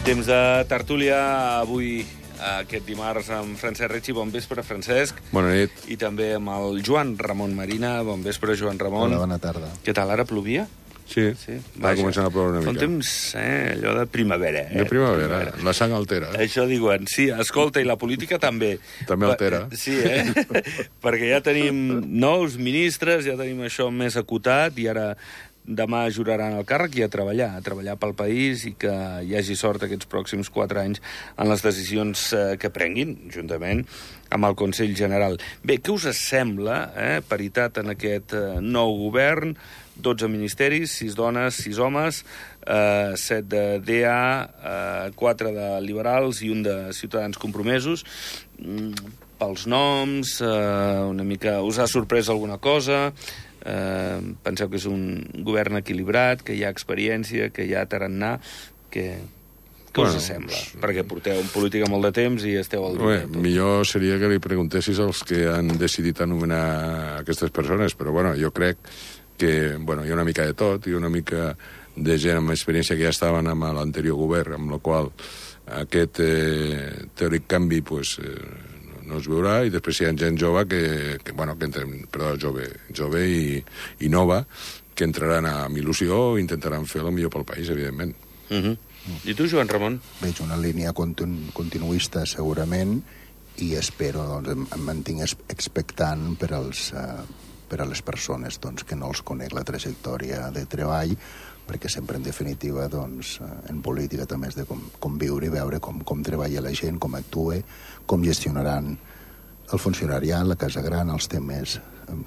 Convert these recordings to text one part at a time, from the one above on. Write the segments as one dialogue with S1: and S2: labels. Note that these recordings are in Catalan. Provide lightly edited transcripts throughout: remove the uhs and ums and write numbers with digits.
S1: Temps de tertúlia avui, aquest dimarts, amb Francesc Retxi. Bon vespre, Francesc.
S2: Bona nit.
S1: I també amb el Joan Ramon Marina. Bon vespre, Joan Ramon.
S3: Hola, bona tarda.
S1: Què tal, ara plovia?
S2: Sí, va començant a ploure una mica.
S1: Fa un temps, allò de primavera.
S2: De primavera, la sang altera.
S1: Això diuen, sí, escolta, i la política també.
S2: També altera.
S1: Sí, perquè ja tenim nous ministres, ja tenim això més acotat, i ara demà juraran el càrrec i a treballar pel país i que hi hagi sort aquests pròxims 4 anys en les decisions que prenguin, juntament amb el Consell General. Bé, què us sembla, paritat en aquest nou govern? 12 ministeris, 6 dones, 6 homes, 7 de DA, 4 de liberals i un de Ciutadans Compromesos. Pels noms, una mica... Us ha sorprès alguna cosa? Penseu que és un govern equilibrat, que hi ha experiència, que hi ha tarannà, què us sembla? Perquè porteu en política molt de temps i esteu al dia.
S2: Millor seria que li preguntessis als que han decidit anomenar aquestes persones, però jo crec que hi ha una mica de tot, i una mica de gent amb experiència que ja estaven amb l'anterior govern, amb la qual aquest teòric canvi no es veurà, i després hi ha gent jove jove i nova, que entraran amb il·lusió i intentaran fer el millor pel país, evidentment.
S1: I tu, Joan Ramon?
S3: Veig una línia continuista, segurament, i espero, em mantinc expectant per a les persones que no els conec la trajectòria de treball, perquè sempre, en definitiva, en política també és de com viure i veure com treballa la gent, com actua, com gestionaran el funcionariat, la Casa Gran, els temes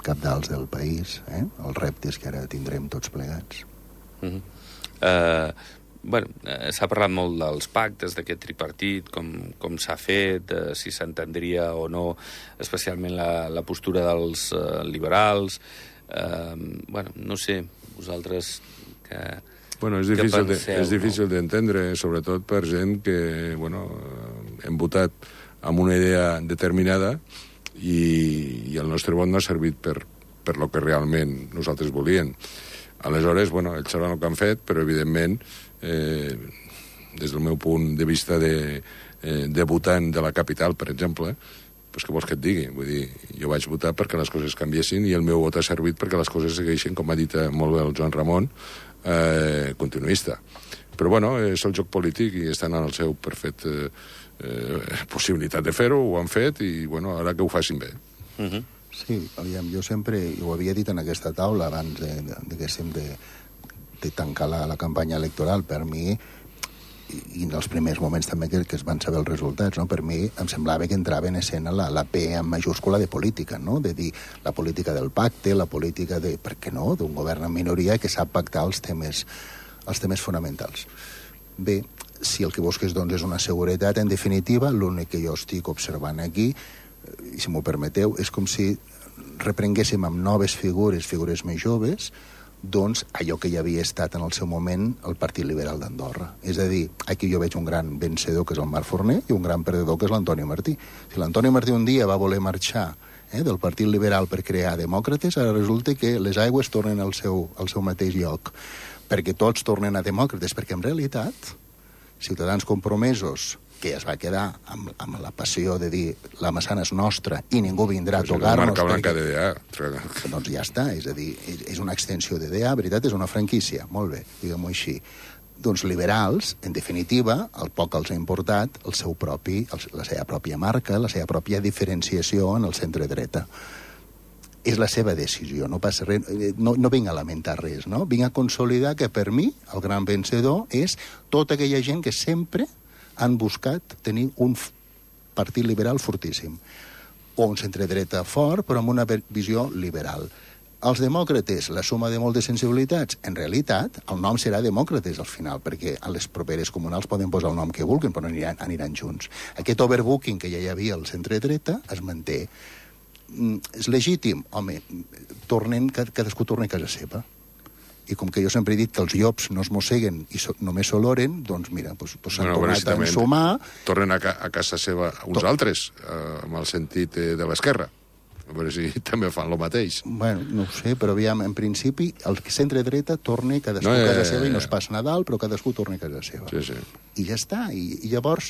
S3: cabdals del país, els reptes que ara tindrem tots plegats.
S1: S'ha parlat molt dels pactes, d'aquest tripartit, com s'ha fet, si s'entendria o no, especialment la postura dels liberals. No sé, vosaltres...
S2: És difícil d'entendre, sobretot per gent que hem votat amb una idea determinada i el nostre vot no ha servit per lo que realment nosaltres volíem. Aleshores, ells sabran el que han fet, però evidentment, des del meu punt de vista de votant de la capital, per exemple, què vols que et digui? Vull dir, jo vaig votar perquè les coses canviessin i el meu vot ha servit perquè les coses segueixin, com ha dit molt bé el Joan Ramon, continuista. Però és el joc polític i estan en el seu perfecte possibilitat de fer-ho, ho han fet i ara que ho facin bé.
S3: Sí, jo sempre, ho havia dit en aquesta taula abans de tancar la campanya electoral, per mi, i en els primers moments també que es van saber els resultats, per mi em semblava que entrava en escena la P en majúscula de política, de dir la política del pacte, la política de, per què no, d'un govern en minoria que sap pactar els temes fonamentals. Bé, si el que busques és una seguretat, en definitiva, l'únic que jo estic observant aquí, i si m'ho permeteu, és com si reprenguéssim amb noves figures més joves, allò que ja havia estat en el seu moment el Partit Liberal d'Andorra. És a dir, aquí jo veig un gran vencedor, que és el Marc Forner, i un gran perdedor, que és l'Antoni Martí. Si l'Antoni Martí un dia va voler marxar del Partit Liberal per crear Demòcrates, ara resulta que les aigües tornen al seu mateix lloc, perquè tots tornen a Demòcrates, perquè en realitat Ciutadans Compromesos, que es va quedar amb la passió de dir la Massana és nostra i ningú vindrà a tocar-nos...
S2: Marca blanca de DA.
S3: Doncs ja està, és a dir, és una extensió de DA, veritat, és una franquícia, molt bé, diguem-ho així. Liberals, en definitiva, el poc els ha importat la seva pròpia marca, la seva pròpia diferenciació en el centre-dreta. És la seva decisió, no passa res, no vinc a lamentar res, no? Vinc a consolidar que per mi el gran vencedor és tota aquella gent que sempre han buscat tenir un partit liberal fortíssim, o un centre-dreta fort, però amb una visió liberal. Els demòcrates, la suma de moltes sensibilitats, en realitat, el nom serà demòcrates al final, perquè a les properes comunals poden posar el nom que vulguin, però aniran junts. Aquest overbooking que ja hi havia al centre-dreta es manté. És legítim? Home, cadascú torna a casa seva. I com que jo sempre he dit que els llops no es mosseguen i només s'oloren, doncs mira, s'han tornat a ensumar...
S2: Tornen a casa seva uns altres, amb el sentit de l'esquerra. A veure si també fan el mateix.
S3: Bueno, no ho sé, però aviam, en principi, el centre-dreta torna cadascú a casa seva i no es passa Nadal, però cadascú torna a casa seva.
S2: Sí, sí.
S3: I ja està. I llavors,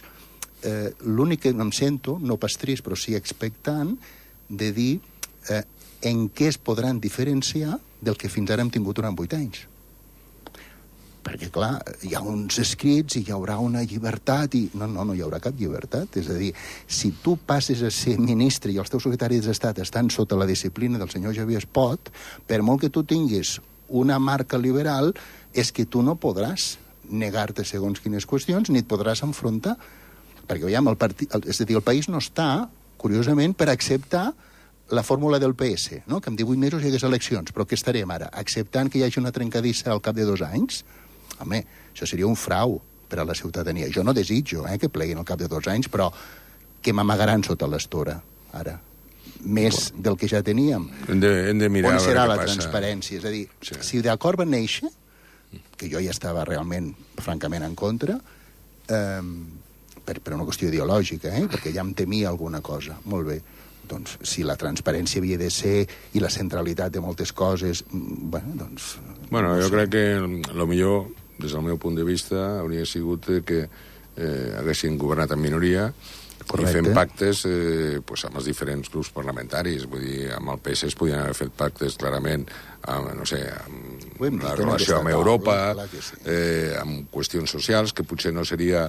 S3: l'únic que em sento, no pas trist, però sí expectant, de dir en què es podran diferenciar del que fins ara hem tingut durant 8 anys. Perquè, clar, hi ha uns escrits i hi haurà una llibertat i... No hi haurà cap llibertat. És a dir, si tu passes a ser ministre i els teus secretaris d'Estat estan sota la disciplina del senyor Xavier Espot, per molt que tu tinguis una marca liberal, és que tu no podràs negar-te segons quines qüestions ni et podràs enfrontar. Perquè, veiem, és a dir, el país no està, curiosament, per acceptar la fórmula del PS, no? Que en 18 mesos hi hagués eleccions, però què estarem ara? Acceptant que hi hagi una trencadissa al cap de 2 anys? Home, això seria un frau per a la ciutadania. Jo no desitjo que pleguin al cap de 2 anys, però que m'amagaran sota l'estora, ara. Més del que ja teníem.
S2: Hem de mirar
S3: on serà
S2: a veure
S3: la
S2: què passa.
S3: transparència? És a dir, si d'acord va néixer, que jo ja estava realment, francament, en contra, per una qüestió ideològica, perquè ja em temia alguna cosa. Molt bé. Doncs, si la transparència havia de ser i la centralitat de moltes coses, bueno, doncs...
S2: Bueno, jo crec que el millor, des del meu punt de vista, hauria sigut que haguessin governat en minoria. Correcte. I fent pactes amb els diferents grups parlamentaris. Vull dir, amb el PS es podien haver fet pactes clarament amb, no sé, amb la relació amb Europa, amb qüestions socials, que potser no seria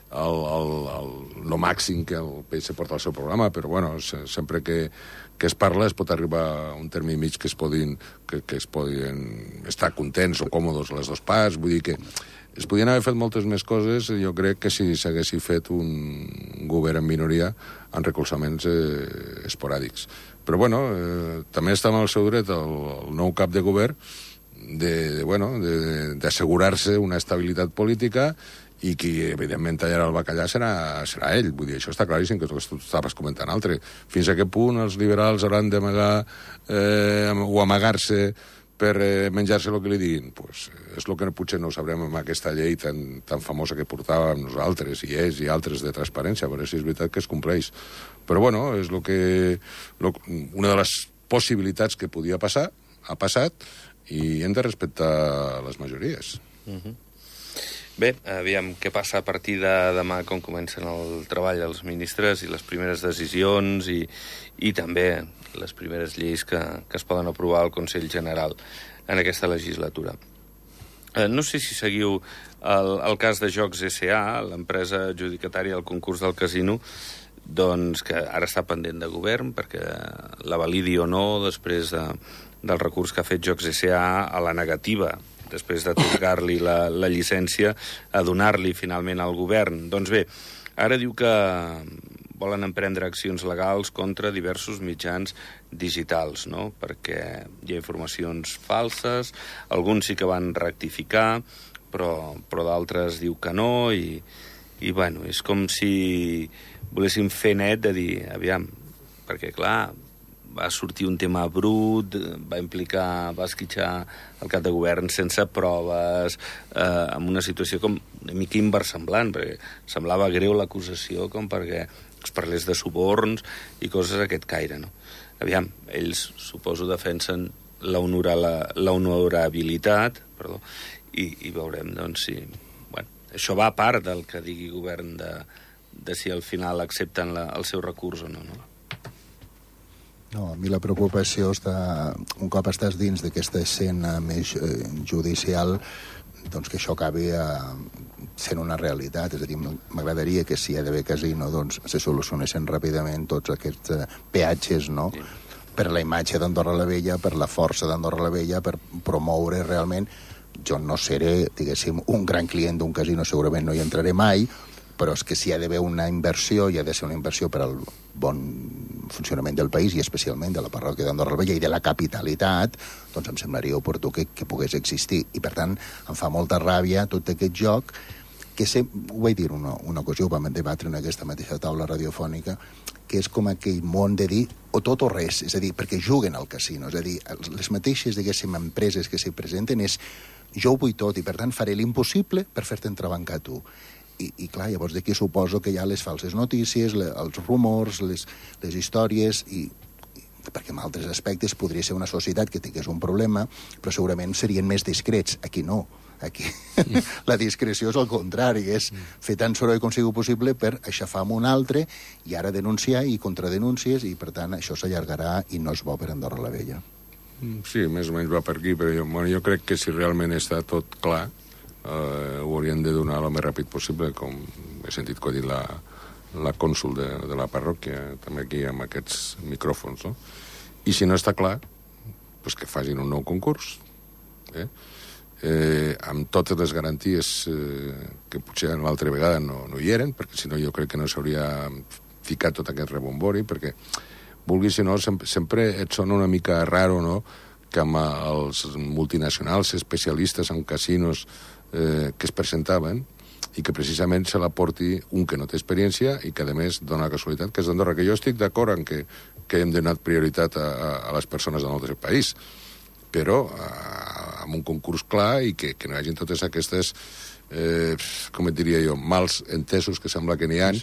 S2: el màxim que el PS porta al seu programa, però bueno, sempre que es parla es pot arribar a un terme mig que es podien estar contents o còmodes les dues parts. Vull dir que es podien haver fet moltes més coses, jo crec, que si s'haguessi fet un govern en minoria en recolzaments esporàdics. Però, bueno, també està en el seu dret el nou cap de govern d'assegurar-se una estabilitat política i qui, evidentment, tallarà el bacallà serà ell. Vull dir, això està claríssim, que tu estaves comentant altre. Fins a aquest punt els liberals hauran d'amagar o amagar-se per menjar-se el que li diguin? Pues és el que potser no ho sabrem amb aquesta llei tan famosa que portàvem nosaltres, i altres de transparència, a veure si és veritat que es compleix. Però, bueno, és una de les possibilitats que podia passar, ha passat, i hem de respectar les majories.
S1: Bé, aviam què passa a partir de demà, com comencen el treball dels ministres i les primeres decisions i també les primeres lleis que es poden aprovar al Consell General en aquesta legislatura. No sé si seguiu el cas de Jocs S.A., l'empresa adjudicatària del concurs del casino, doncs que ara està pendent de govern perquè la validi o no després del recurs que ha fet Jocs S.A. a la negativa, després d'atorgar-li la llicència, a donar-li finalment al govern. Doncs bé, ara diu que volen emprendre accions legals contra diversos mitjans digitals, no? Perquè hi ha informacions falses, alguns sí que van rectificar, però d'altres diu que no, i bueno, és com si voléssim fer net de dir, aviam, perquè clar, va sortir un tema brut, va esquitxar el cap de govern sense proves, amb una situació com una mica inversemblant, perquè semblava greu l'acusació com perquè es parlés de suborns i coses d'aquest caire, no? Aviam, ells, suposo, defensen l'honorabilitat, i veurem, doncs, si... Bueno, això va a part del que digui govern de si al final accepten el seu recurs o no, no?
S3: No, a mi la preocupació està... Un cop estàs dins d'aquesta escena més judicial, doncs que això acabi sent una realitat. És a dir, m'agradaria que si hi ha d'haver casino, doncs se solucionessin ràpidament tots aquests peatges, no? Sí. Per la imatge d'Andorra la Vella, per la força d'Andorra la Vella, per promoure realment... Jo no seré, diguéssim, un gran client d'un casino, segurament no hi entraré mai, però és que si hi ha d'haver una inversió, hi ha de ser una inversió per al bon funcionament del país i especialment de la parròquia d'Andorra la Vella i de la capitalitat, doncs em semblaria oportú que pogués existir. I, per tant, em fa molta ràbia tot aquest joc que ho vaig dir una ocasió, ho vam debatre en aquesta mateixa taula radiofònica, que és com aquell món de dir o tot o res, és a dir, perquè juguen al casino, és a dir, les mateixes, diguéssim, empreses que s'hi presenten és jo ho vull tot i, per tant, faré l'impossible per fer-te entrebancar tu. I clar, llavors d'aquí suposo que hi ha les falses notícies, els rumors, les històries, i perquè en altres aspectes podria ser una societat que tingués un problema, però segurament serien més discrets. Aquí no. Aquí la discreció és el contrari, és fer tant soroll com sigui possible per aixafar amb un altre i ara denunciar i contradenúncies, i per tant això s'allargarà i no és bo per Andorra la Vella.
S2: Sí, més o menys va per aquí, però jo crec que si realment està tot clar ho haurien de donar el més ràpid possible, com he sentit que ha dit la cònsul de la parròquia, també aquí amb aquests micròfons, no? I si no està clar, doncs que facin un nou concurs, amb totes les garanties que potser l'altra vegada no hi eren, perquè si no jo crec que no s'hauria ficat tot aquest rebombori, perquè vulguis o no, sempre et sona una mica raro, no?, que amb els multinacionals especialistes en casinos que es presentaven i que precisament se la porti un que no té experiència i que, a més, dona la casualitat que és d'Andorra, que jo estic d'acord en que hem donat prioritat a les persones del nostre país, però amb un concurs clar i que no hi hagi totes aquestes, com et diria jo, mals entesos que sembla que n'hi ha, i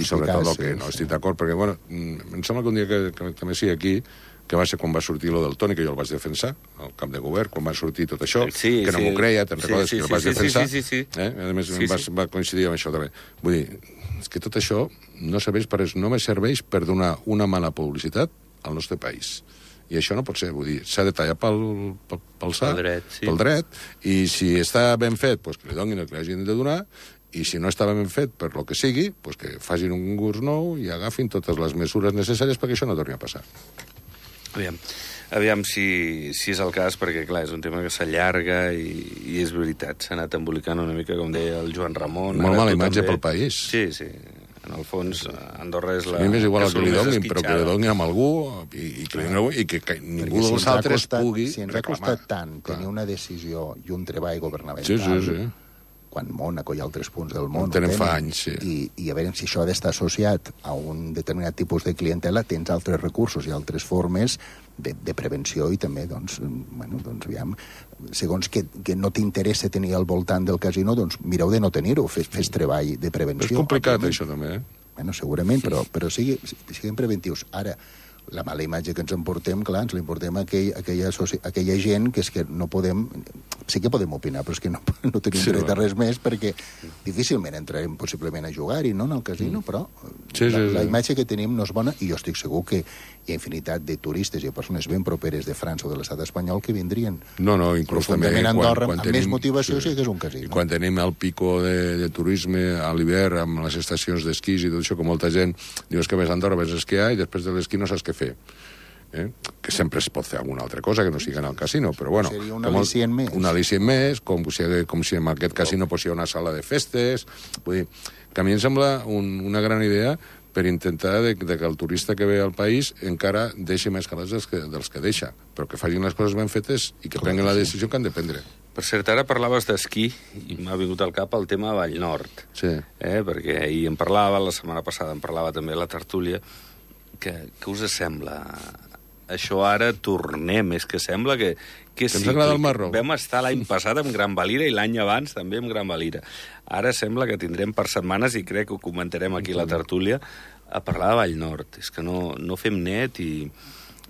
S2: sobretot el que no estic d'acord, perquè, bueno, em sembla que un dia que també sigui aquí, que va ser quan va sortir lo del Toni, que jo el vaig defensar, al camp de govern, quan va sortir tot això, que no m'ho creia, te'n recordes, que el vaig defensar. A més, va coincidir amb això també. Vull dir, és que tot això no serveix per res, només serveix per donar una mala publicitat al nostre país. I això no pot ser, vull dir, s'ha de tallar pel dret, i si està ben fet, doncs que li donin el que li hagin de donar, i si no estava ben fet per lo que sigui, doncs que facin un concurs nou i agafin totes les mesures necessàries perquè això no torni a passar.
S1: Aviam si és el cas, perquè, clar, és un tema que s'allarga i és veritat. S'ha anat embolicant una mica, com deia el Joan Ramon.
S2: Molt mala imatge pel país.
S1: Sí. En el fons, Andorra és la...
S2: A mi m'és igual el que li donin, però que li donin amb algú i que ningú dels altres pugui reclamar.
S3: Si ens ha costat tant tenir una decisió i un treball governamental, quan Mònaco i altres punts del món
S2: tenen fa anys,
S3: i a veure si això ha d'estar associat a un determinat tipus de clientela, tens altres recursos i altres formes de prevenció i també, doncs, aviam, segons que no t'interessa tenir al voltant del casino, doncs mireu de no tenir-ho, fes treball de prevenció.
S2: És complicat, això, també,
S3: segurament, però siguem preventius. Ara, la mala imatge que ens emportem, clar, ens l'importem a aquella gent que és que no podem... Sí que podem opinar, però és que no tenim dret a res més, perquè difícilment entrarem possiblement a jugar-hi, no?, en el casino, però la imatge que tenim no és bona, i jo estic segur que hi ha infinitat de turistes i persones ben properes de França o de l'estat espanyol que vindrien.
S2: No, inclús també...
S3: a Andorra, amb més motivació, sí que és un casino.
S2: I quan tenim el pico de turisme a l'hivern, amb les estacions d'esquís i tot això, que molta gent diu que vés a Andorra, vés a esquiar, i després de l'esquí no saps què fer. Que sempre es pot fer alguna altra cosa que no sigui en el casino, però bueno...
S3: Seria un al·licient més.
S2: Un al·licient més, com si en aquest casino hi ha una sala de festes... Vull dir, que a mi em sembla una gran idea per intentar que el turista que ve al país encara deixi més calés dels que deixa, però que facin les coses ben fetes i que prenguin la decisió que han de prendre.
S1: Per cert, ara parlaves d'esquí i m'ha vingut al cap el tema de Vallnord.
S2: Sí.
S1: Perquè ahir en parlava, la setmana passada en parlava també a la tertúlia. Què us sembla? Això ara tornem, és que sembla que és
S2: ens agrada el marró.
S1: Vam estar l'any passat amb Gran Valira i l'any abans també amb Gran Valira. Ara sembla que tindrem per setmanes, i crec que ho comentarem aquí a la tertúlia, a parlar de Vallnord. És que no fem net i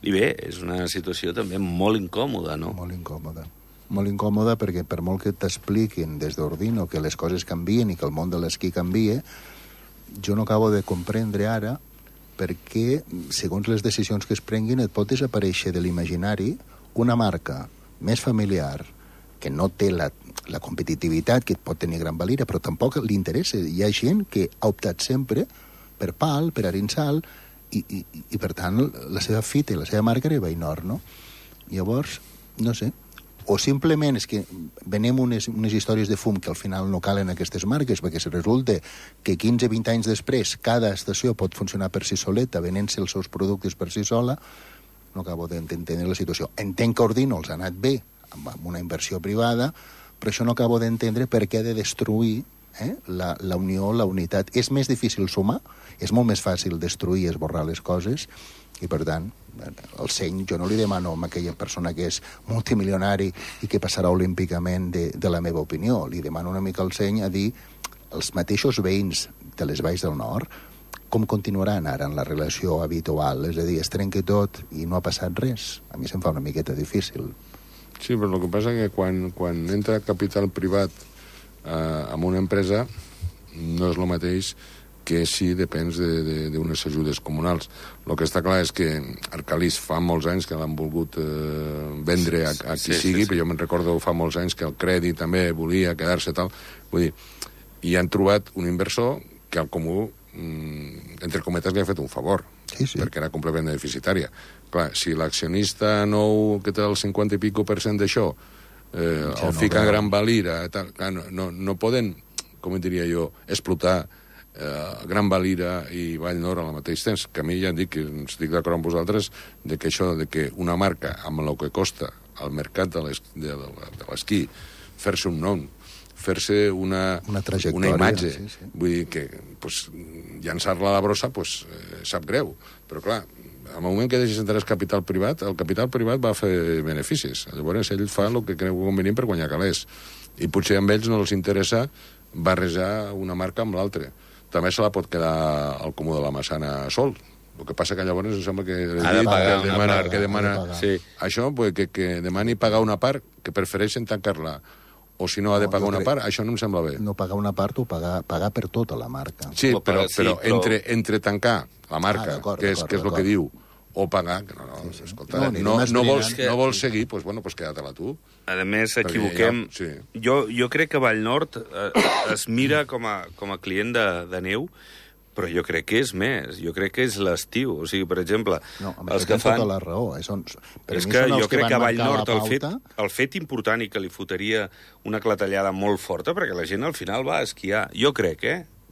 S1: bé, és una situació també molt incòmoda, no?
S3: Molt incòmoda perquè per molt que t'expliquin des d'Ordino que les coses canvien i que el món de l'esquí canvia, jo no acabo de comprendre ara perquè, segons les decisions que es prenguin, et pot desaparèixer de l'imaginari una marca més familiar, que no té la competitivitat que pot tenir Gran Valira, però tampoc li interessa. Hi ha gent que ha optat sempre per Pal, per Arinsal, i per tant, la seva fita i la seva marca era Vallnord, no? Llavors, no sé, o simplement és que venem unes històries de fum que al final no calen aquestes marques, perquè si resulta que 15-20 anys després cada estació pot funcionar per si soleta, venent-se els seus productes per si sola, no acabo d'entendre la situació. Entenc que Ordino els ha anat bé, amb una inversió privada, però això no acabo d'entendre per què ha de destruir la unió, la unitat. És més difícil sumar, és molt més fàcil destruir i esborrar les coses, i per tant, el seny jo no li demano a aquella persona que és multimilionari i que passarà olímpicament de la meva opinió, li demano una mica el seny a dir els mateixos veïns de les Valls del Nord com continuaran ara en la relació habitual? És a dir, es trenca tot i no ha passat res? A mi se'm fa una miqueta difícil.
S2: Sí, però el que passa és que quan entra capital privat en una empresa no és el mateix que si depens d'unes ajudes comunals. El que està clar és que Arcalís fa molts anys que l'han volgut vendre a qui sigui, però jo me'n recordo fa molts anys que el Crèdit també volia quedar-se tal. Vull dir, i han trobat un inversor que al comú, entre cometes, li ha fet un favor, perquè era completament deficitària. Clar, si l'accionista nou que té el 50 i pico % d'això el fica a Gran Valira, no poden, com diria jo, explotar Gran Valira i Vallnord al mateix temps, que a mi ja dic que estic d'acord amb vosaltres de que això, de que una marca amb el que costa al mercat de l'esquí fer-se un nom, fer-se una imatge, vull dir que llançar-la a la brossa sap greu, però clar, al moment que deixes entrar el capital privat va fer beneficis, llavors ell fa el que creu convenient per guanyar calés, i potser amb ells no els interessa barrejar una marca amb l'altra. També se la pot quedar al Comú de la Massana sol. El que passa que llavors em sembla que demana això, que demani pagar una part, que prefereixen tancar-la, o si no ha de pagar una part, això no em sembla bé.
S3: No pagar una part o pagar per tota la marca.
S2: Sí, però entre tancar la marca, que és el que diu, o pagar, no vols seguir, doncs queda-te-la tu.
S1: A més, s'equivoquem. Jo crec que Vallnord es mira com a client de neu, però jo crec que és més. Jo crec que és l'estiu. O sigui, per exemple,
S3: els que fan... tota la raó.
S1: És que jo crec que a Vallnord el fet important i que li fotria una clatellada molt forta, perquè la gent al final va a esquiar. Jo crec,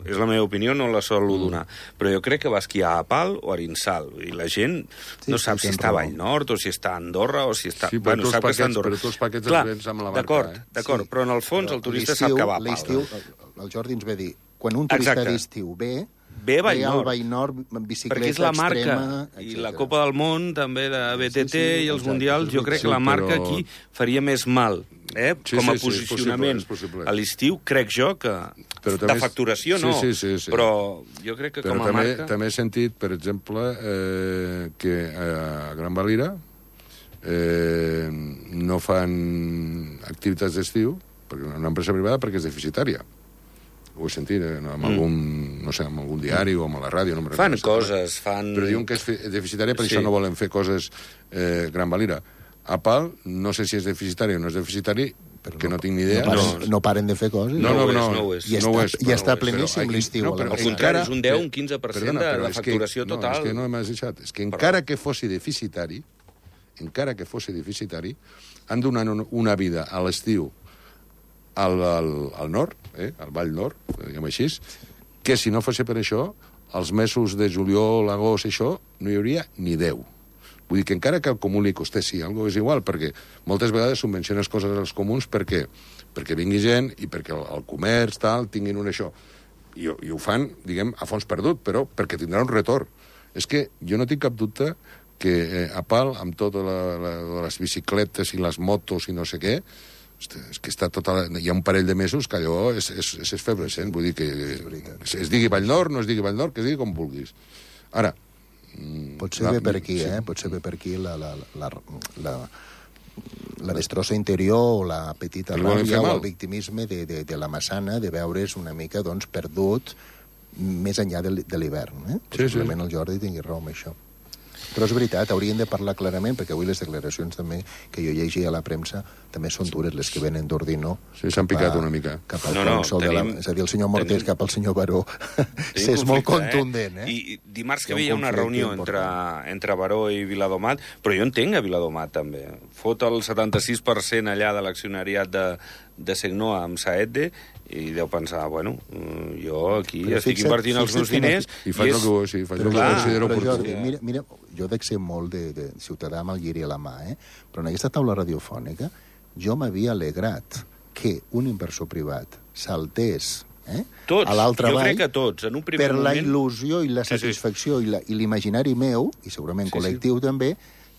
S1: és la meva opinió, no la sol donar, però jo crec que va esquiar a Pal o a Arinsal, i la gent no sap si està a Vallnord, o si està a Andorra, o si està...
S2: Sí, però sap que està a Andorra. Però tu els paquets els vens amb la marca,
S1: D'acord, però en el fons el turista sap que va a Pal.
S3: L'estiu, el Jordi ens ve dir, quan un turista d'estiu ve
S1: a
S3: Vallnord, bicicleta extrema...
S1: Perquè és la marca, i la Copa del Món, també de BTT i els Mundials, jo crec que la marca aquí faria més mal, com a posicionament. A l'estiu, crec jo que... De facturació, no. Però jo crec que com a marca...
S2: També he sentit, per exemple, que a Gran Valira no fan activitats d'estiu, una empresa privada, perquè és deficitària. Ho he sentit amb algun diari o amb la ràdio.
S1: Fan coses,
S2: però diuen que és deficitària, per això no volen fer coses Gran Valira. A Pal, no sé si és deficitari o no és deficitari, que no tinc ni idea.
S3: No paren de fer coses.
S1: No ho és.
S3: I està pleníssim l'estiu.
S1: Al contrari, és un 10, un 15% de la facturació total.
S2: És que no m'has deixat. És que encara que fos deficitari, han donat una vida a l'estiu al nord, al Vall Nord, diguem així, que si no fos per això, els mesos de juliol, agost, això, no hi hauria ni 10. Vull dir que encara que al comú li costessi alguna cosa és igual, perquè moltes vegades subvenciones coses als comuns perquè vingui gent i perquè el comerç, tal, tinguin un això. I ho fan, diguem, a fons perdut, però perquè tindrà un retorn. És que jo no tinc cap dubte que a Pal, amb totes les bicicletes i les motos i no sé què, és que està hi ha un parell de mesos que allò és esfervescent, vull dir que es digui Vallnord, no es digui Vallnord, que es digui com vulguis. Ara...
S3: Potser ve per aquí, potser ve per aquí la destrossa interior o la petita ràbia o el victimisme de la Massana, de veure's una mica perdut més enllà de l'hivern. Possiblement el Jordi tingui raó amb això. Però és veritat, hauríem de parlar clarament, perquè avui les declaracions també que jo llegia a la premsa també són dures, les que venen d'Ordino.
S2: Sí, s'han picat una mica.
S3: Cap al consol és a dir, el senyor Mortés cap al senyor Baró. És molt contundent,
S1: I dimarts que hi havia una reunió entre Baró i Viladomat, però jo entenc a Viladomat, també. Fot el 76% allà de l'accionariat de Segnoa amb Saedde, i deu pensar, jo aquí estic invertint els meus diners...
S2: I faig el que considero oportú.
S3: Mira, jo dec ser molt de ciutadà amb el lliri a la mà, però en aquesta taula radiofònica jo m'havia alegrat que un inversor privat saltés a l'altra vall,
S1: jo crec que tots, en un primer moment...
S3: Per la il·lusió i la satisfacció i l'imaginari meu, i segurament col·lectiu també,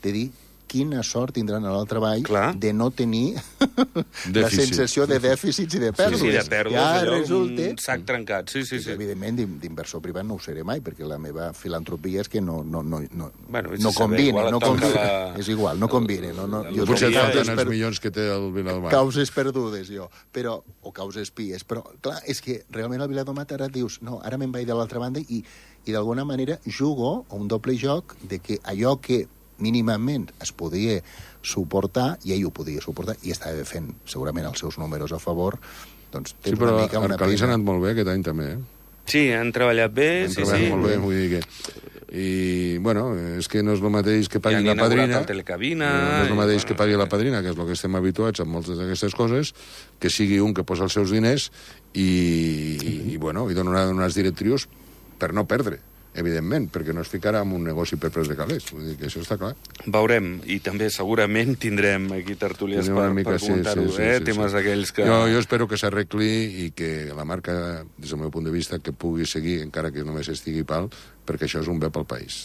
S3: de dir, quina sort tindran a l'altre ball de no tenir la
S2: Dèficit.
S3: sensació de dèficits i de pèrdues.
S1: Sí, de pèrdues,
S3: ja
S1: allò,
S3: resulta...
S1: un sac trencat. Sí.
S3: Evidentment, d'inversor privat no ho seré mai, perquè la meva filantropia és que no
S1: combina.
S3: És igual, no combina.
S2: Potser et falten els milions que té el Viladomat.
S3: Causes perdudes, jo. O causes pies. Però, clar, és que realment el Viladomat ara dius, no, ara me'n vaig de l'altra banda i d'alguna manera jugo a un doble joc de que allò que mínimament es podia suportar, i ell ho podia suportar, i estava fent segurament els seus números a favor, doncs tens una mica una pena.
S2: Arcalís ha anat molt bé aquest any també,
S1: Sí, han treballat bé.
S2: Han treballat molt bé, vull dir que... I, bueno, és que no és el mateix que pagui la padrina... No és el mateix que pagui la padrina, que és el que estem habituats amb moltes d'aquestes coses, que sigui un que posa els seus diners i dona unes directrius per no perdre, evidentment, perquè no es ficarà en un negoci per preus de calés. Vull dir que això està clar.
S1: Veurem, i també segurament tindrem aquí tertúlies per comentar-ho, temes aquells que...
S2: Jo espero que s'arregli i que la marca, des del meu punt de vista, que pugui seguir, encara que només estigui pal, perquè això és un bé pel país.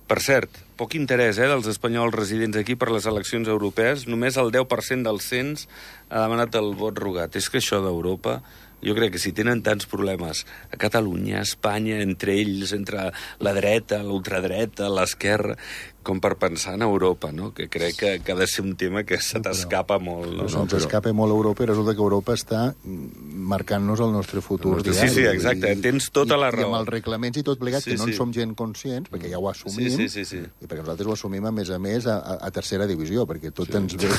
S1: Per cert, poc interès dels espanyols residents aquí per les eleccions europees. Només el 10% del cens ha demanat el vot rogat. És que això d'Europa... Jo crec que si tenen tants problemes a Catalunya, a Espanya, entre ells, entre la dreta, l'ultradreta, l'esquerra, com per pensar en Europa, no? Que crec que ha de ser un tema que se t'escapa molt. No?
S3: Se'ns escapa molt Europa i resulta que Europa està marcant-nos el nostre futur.
S1: Sí, exacte, tens tota la raó.
S3: I amb els reglaments i tot plegat, que no en som gent conscients, perquè ja ho assumim, i perquè nosaltres ho assumim, a més, a tercera divisió, perquè tot ens ve...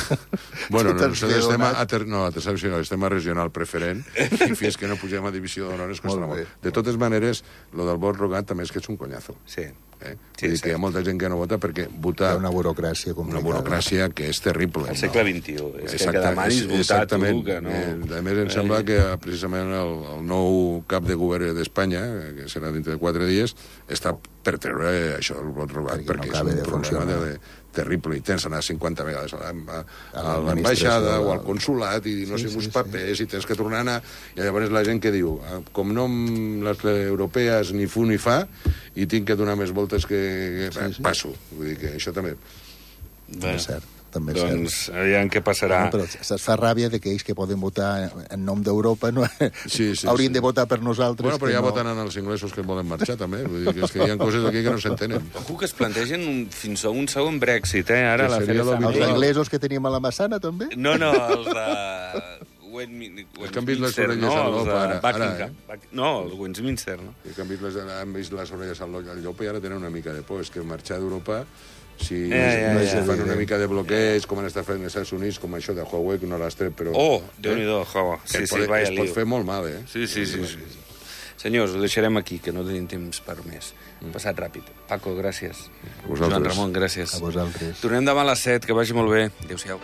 S2: Bueno, nosaltres estem a tercera divisió, estem a regional preferent, i fins que no pugem a divisió d'honor es costarà molt. De totes maneres, lo del vot rogat també és que és un conyazo.
S1: Sí.
S2: Vull dir que hi ha molta gent que no vota perquè votar...
S3: Hi ha una burocràcia complicada.
S2: Una burocràcia que és terrible.
S1: Al segle XXI. És que demanis votar tu, que no...
S2: A més, em sembla que precisament el nou cap de govern d'Espanya, que serà dintre de 4 dies, està per treure això del vot rogat, perquè és un problema terrible. I tens d'anar 50 vegades a l'ambaixada o al consulat i no sé, uns papers, i tens que tornar a anar... I llavors la gent que diu, com no les europees ni fu ni fa, i tinc que donar més voltes que passo. Vull dir que això també...
S3: També és cert.
S1: Doncs aviam què passarà.
S3: Però es fa ràbia de que ells que poden votar en nom d'Europa haurien de votar per nosaltres.
S2: Bueno, però ja voten els inglesos que volen marxar, també. Vull dir que és que hi ha coses aquí que no s'entenen.
S1: Ojo que es plantegen fins a un segon Brexit, ara la
S3: Els inglesos que teníem a la Massana, també?
S1: No, els de...
S2: Els que han vist les orelles al llop ara.
S1: No, el Westminster, no?
S2: Els que han vist les orelles al llop i ara tenen una mica de por. És que marxar d'Europa, si fan una mica de bloqueig, com han estat fent els Estats Units, com això de Huawei, que no l'has tret, però...
S1: Déu-n'hi-do, Huawei.
S2: Es pot fer molt mal,
S1: Sí. Senyors, ho deixarem aquí, que no tenim temps per més. Passat ràpid. Paco, gràcies. Joan Ramon, gràcies.
S3: A vosaltres.
S1: Tornem demà a les 7, que vagi molt bé. Adéu-siau.